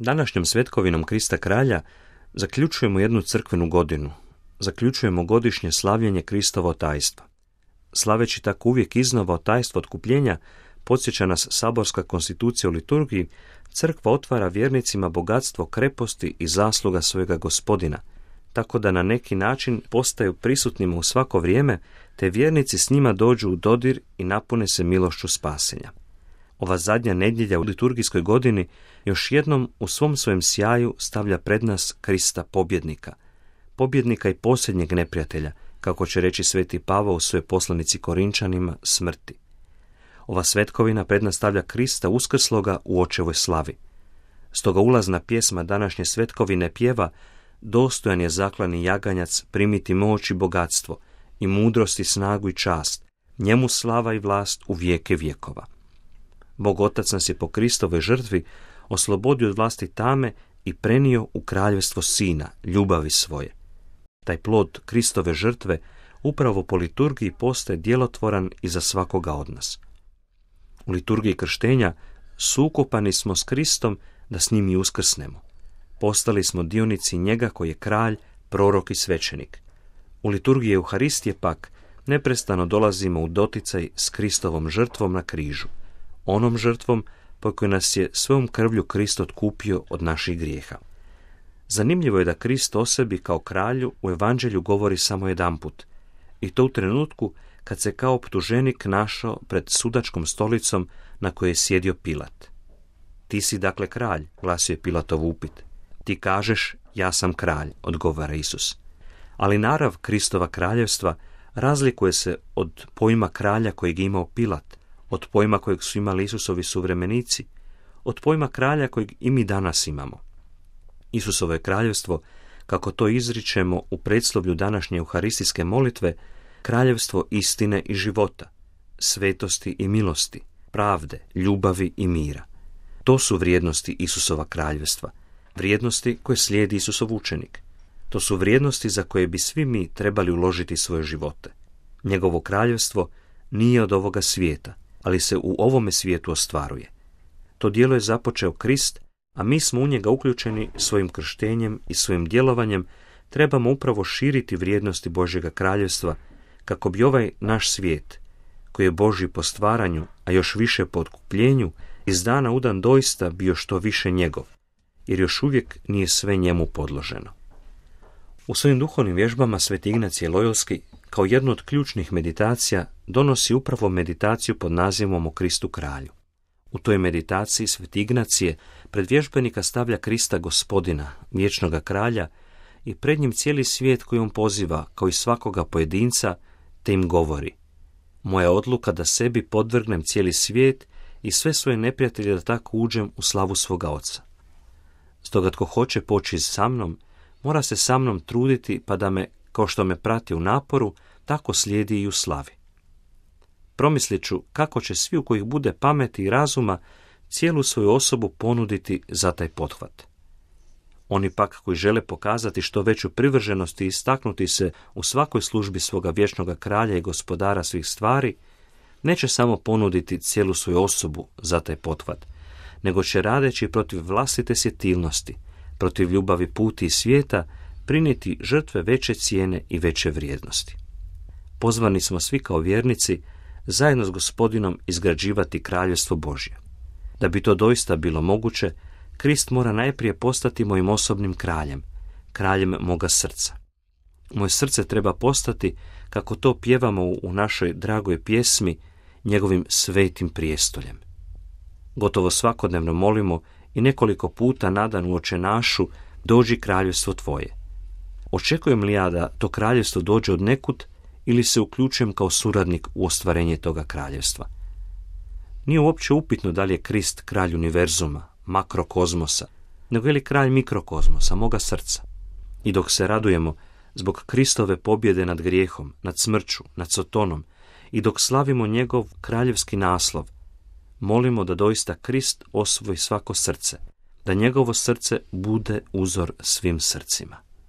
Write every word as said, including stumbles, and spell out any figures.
Današnjom svetkovinom Krista kralja zaključujemo jednu crkvenu godinu. Zaključujemo godišnje slavljenje Kristovo tajstva. Slaveći tako uvijek iznova tajstvo otkupljenja, podsjeća nas saborska konstitucija u liturgiji, crkva otvara vjernicima bogatstvo kreposti i zasluga svojega Gospodina, tako da na neki način postaju prisutnima u svako vrijeme, te vjernici s njima dođu u dodir i napune se milošću spasenja. Ova zadnja nedjelja u liturgijskoj godini još jednom u svom svojem sjaju stavlja pred nas Krista pobjednika, pobjednika i posljednjeg neprijatelja, kako će reći sveti Pavao u svojoj poslanici Korinčanima, smrti. Ova svetkovina pred nas stavlja Krista uskrsloga u očevoj slavi. Stoga ulazna pjesma današnje svetkovine pjeva: dostojan je zaklani jaganjac primiti moć i bogatstvo, i mudrost i snagu i čast, njemu slava i vlast u vijeke vjekova. Bog Otac nas je po Kristovoj žrtvi oslobodio od vlasti tame i prenio u kraljevstvo Sina, ljubavi svoje. Taj plod Kristove žrtve upravo po liturgiji postaje djelotvoran i za svakoga od nas. U liturgiji krštenja sukopani smo s Kristom da s njim i uskrsnemo. Postali smo dionici njega koji je kralj, prorok i svećenik. U liturgiji Euharistije pak neprestano dolazimo u doticaj s Kristovom žrtvom na križu, onom žrtvom po kojoj nas je svojom krvlju Krist otkupio od naših grijeha. Zanimljivo je da Krist o sebi kao kralju u evanđelju govori samo jedanput, i to u trenutku kad se kao optuženik našao pred sudačkom stolicom na kojoj je sjedio Pilat. Ti si dakle kralj, glasio je Pilatov upit. Ti kažeš, ja sam kralj, odgovara Isus. Ali narav Kristova kraljevstva razlikuje se od pojma kralja kojeg je imao Pilat, od pojma kojeg su imali Isusovi suvremenici, od pojma kralja kojeg i mi danas imamo. Isusovo je kraljevstvo, kako to izričemo u predslovlju današnje euharistijske molitve, kraljevstvo istine i života, svetosti i milosti, pravde, ljubavi i mira. To su vrijednosti Isusova kraljevstva, vrijednosti koje slijedi Isusov učenik. To su vrijednosti za koje bi svi mi trebali uložiti svoje živote. Njegovo kraljevstvo nije od ovoga svijeta, ali se u ovome svijetu ostvaruje. To djelo je započeo Krist, a mi smo u njega uključeni svojim krštenjem i svojim djelovanjem. Trebamo upravo širiti vrijednosti Božjega kraljevstva, kako bi ovaj naš svijet, koji je Božji po stvaranju, a još više po otkupljenju, iz dana u dan doista bio što više njegov, jer još uvijek nije sve njemu podloženo. U svojim duhovnim vježbama sveti Ignacije Lojolski kao jednu od ključnih meditacija donosi upravo meditaciju pod nazivom o Kristu kralju. U toj meditaciji sveti Ignacije pred vježbenika stavlja Krista Gospodina, vječnoga kralja, i pred njim cijeli svijet koji on poziva, kao i svakoga pojedinca, te im govori: moja odluka da sebi podvrgnem cijeli svijet i sve svoje neprijatelje da tako uđem u slavu svoga Oca. Stoga tko hoće poći sa mnom, mora se sa mnom truditi, pa da me, kao što me prati u naporu, tako slijedi i u slavi. Promislit ću kako će svi u kojih bude pameti i razuma cijelu svoju osobu ponuditi za taj pothvat. Oni pak koji žele pokazati što veću privrženost i istaknuti se u svakoj službi svoga vječnoga kralja i gospodara svih stvari, neće samo ponuditi cijelu svoju osobu za taj pothvat, nego će radeći protiv vlastite sjetilnosti, protiv ljubavi puti i svijeta, prinijeti žrtve veće cijene i veće vrijednosti. Pozvani smo svi kao vjernici zajedno s Gospodinom izgrađivati kraljevstvo Božje. Da bi to doista bilo moguće, Krist mora najprije postati mojim osobnim kraljem, kraljem moga srca. Moje srce treba postati, kako to pjevamo u našoj dragoj pjesmi, njegovim svetim prijestoljem. Gotovo svakodnevno molimo i nekoliko puta na dan u Oče našu: dođi kraljevstvo tvoje. Očekujem li ja da to kraljevstvo dođe od nekud ili se uključujem kao suradnik u ostvarenje toga kraljevstva? Nije uopće upitno da li je Krist kralj univerzuma, makrokozmosa, nego je li kralj mikrokozmosa, moga srca. I dok se radujemo zbog Kristove pobjede nad grijehom, nad smrću, nad Sotonom, i dok slavimo njegov kraljevski naslov, molimo da doista Krist osvoji svako srce, da njegovo srce bude uzor svim srcima.